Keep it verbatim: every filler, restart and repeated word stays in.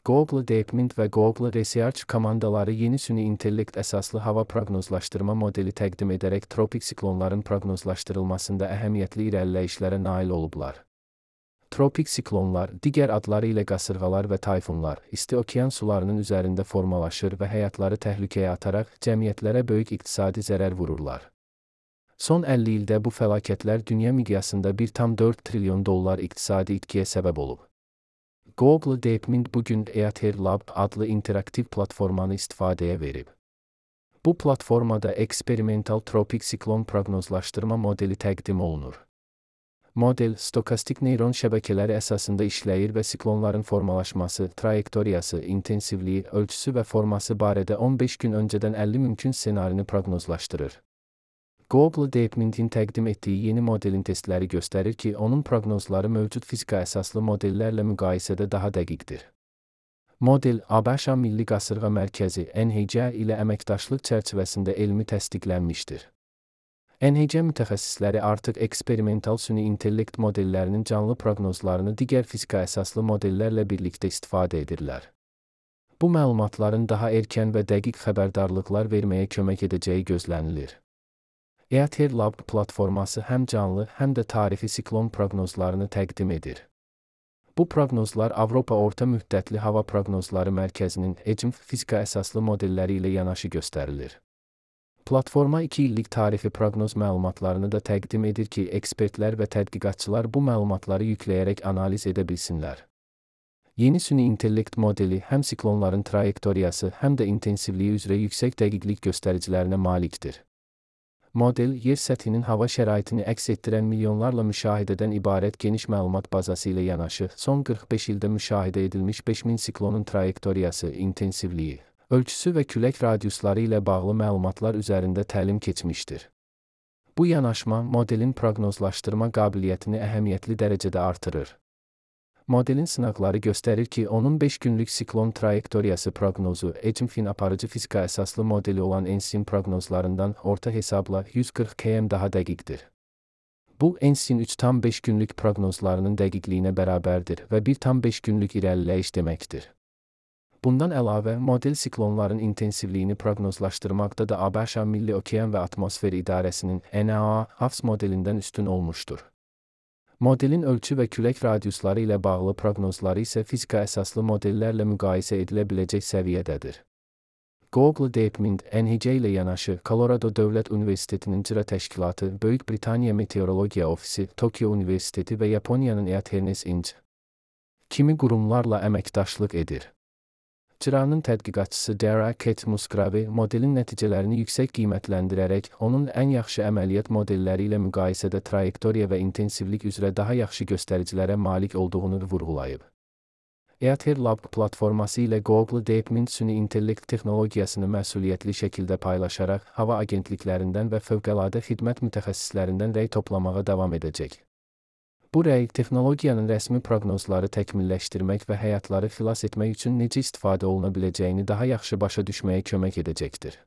Google DeepMind və Google Research komandaları yeni süni intellekt əsaslı hava proqnozlaşdırma modeli təqdim edərək tropik siklonların proqnozlaşdırılmasında əhəmiyyətli irəliləyişlərə nail olublar. Tropik siklonlar, digər adları ilə qasırğalar və tayfunlar, isti okean sularının üzərində formalaşır və həyatları təhlükəyə ataraq cəmiyyətlərə böyük iqtisadi zərər vururlar. Son əlli ildə bu fəlakətlər dünya miqyasında bir tam dörd trilyon dollar iqtisadi itkiyə səbəb olub. Google DeepMind bugün Eather Lab adlı interaktiv platformanı istifadəyə verib. Bu platformada eksperimental tropik siklon proqnozlaşdırma modeli təqdim olunur. Model, stokastik neyron şəbəkələri əsasında işləyir və siklonların formalaşması, trayektoriyası, intensivliyi, ölçüsü və forması barədə on beş gün öncədən əlli mümkün ssenarini proqnozlaşdırır. Google DeepMind'in təqdim etdiyi yeni modelin testləri göstərir ki, onun proqnozları mövcud fizika əsaslı modellərlə müqayisədə daha dəqiqdir. Model, ABŞ Milli Qasırğa Mərkəzi N H C ilə əməkdaşlıq çərçivəsində elmi təsdiqlənmişdir. N H C mütəxəssisləri artıq eksperimental süni intellekt modellərinin canlı proqnozlarını digər fizika əsaslı modellərlə birlikdə istifadə edirlər. Bu məlumatların daha erkən və dəqiq xəbərdarlıqlar verməyə kömək edəcəyi gözlənilir. Eather Lab platforması həm canlı, həm də tarixi siklon proqnozlarını təqdim edir. Bu proqnozlar Avropa Orta Müddətli Hava Proqnozları Mərkəzinin E C M F fizika əsaslı modelləri ilə yanaşı göstərilir. Platforma iki illik tarixi proqnoz məlumatlarını da təqdim edir ki, ekspertlər və tədqiqatçılar bu məlumatları yükləyərək analiz edə bilsinlər. Yeni süni intellekt modeli həm siklonların trayektoriyası, həm də intensivliyi üzrə yüksək dəqiqlik göstəricilərinə malikdir. Model, yer səthinin hava şəraitini əks etdirən milyonlarla müşahidədən ibarət geniş məlumat bazası ilə yanaşı, son qırx beş ildə müşahidə edilmiş beş min siklonun trayektoriyası, intensivliyi, ölçüsü və külək radiusları ilə bağlı məlumatlar üzərində təlim keçmişdir. Bu yanaşma, modelin proqnozlaşdırma qabiliyyətini əhəmiyyətli dərəcədə artırır. Modelin sınaqları göstərir ki, onun beş günlük siklon trayektoriyası proqnozu E C M F-in aparıcı fizika əsaslı modeli olan ENSYN proqnozlarından orta hesabla yüz qırx kilometr daha dəqiqdir. Bu, ENSYN üç tam beş günlük proqnozlarının dəqiqliyinə bərabərdir və bir tam beş günlük irəliləyiş deməkdir. Bundan əlavə, model siklonların intensivliyini proqnozlaşdırmaqda da ABŞ Milli Okean və Atmosfer İdarəsinin N A A H A V S modelindən üstün olmuşdur. Modelin ölçü və külək radiusları ilə bağlı proqnozları isə fizika əsaslı modellərlə müqayisə edilə biləcək səviyyədədir. Google DeepMind, N H C ilə yanaşı, Colorado Dövlət Universitetinin İcra Təşkilatı, Böyük Britaniya Meteorologiya Ofisi, Tokyo Universiteti və Yaponiyanın Eathernes Inc kimi qurumlarla əməkdaşlıq edir. İcranın tədqiqatçısı Dara Kate Musgrave modelin nəticələrini yüksək qiymətləndirərək, onun ən yaxşı əməliyyat modelləri ilə müqayisədə trayektoriya və intensivlik üzrə daha yaxşı göstəricilərə malik olduğunu vurğulayıb. Eather Lab platforması ilə Google DeepMind süni intellekt texnologiyasını məsuliyyətli şəkildə paylaşaraq, hava agentliklərindən və fövqəladə xidmət mütəxəssislərindən rəy toplamağa davam edəcək. Bu rəy, texnologiyanın rəsmi proqnozları təkmilləşdirmək və həyatları xilas etmək üçün necə istifadə oluna biləcəyini daha yaxşı başa düşməyə kömək edəcəkdir.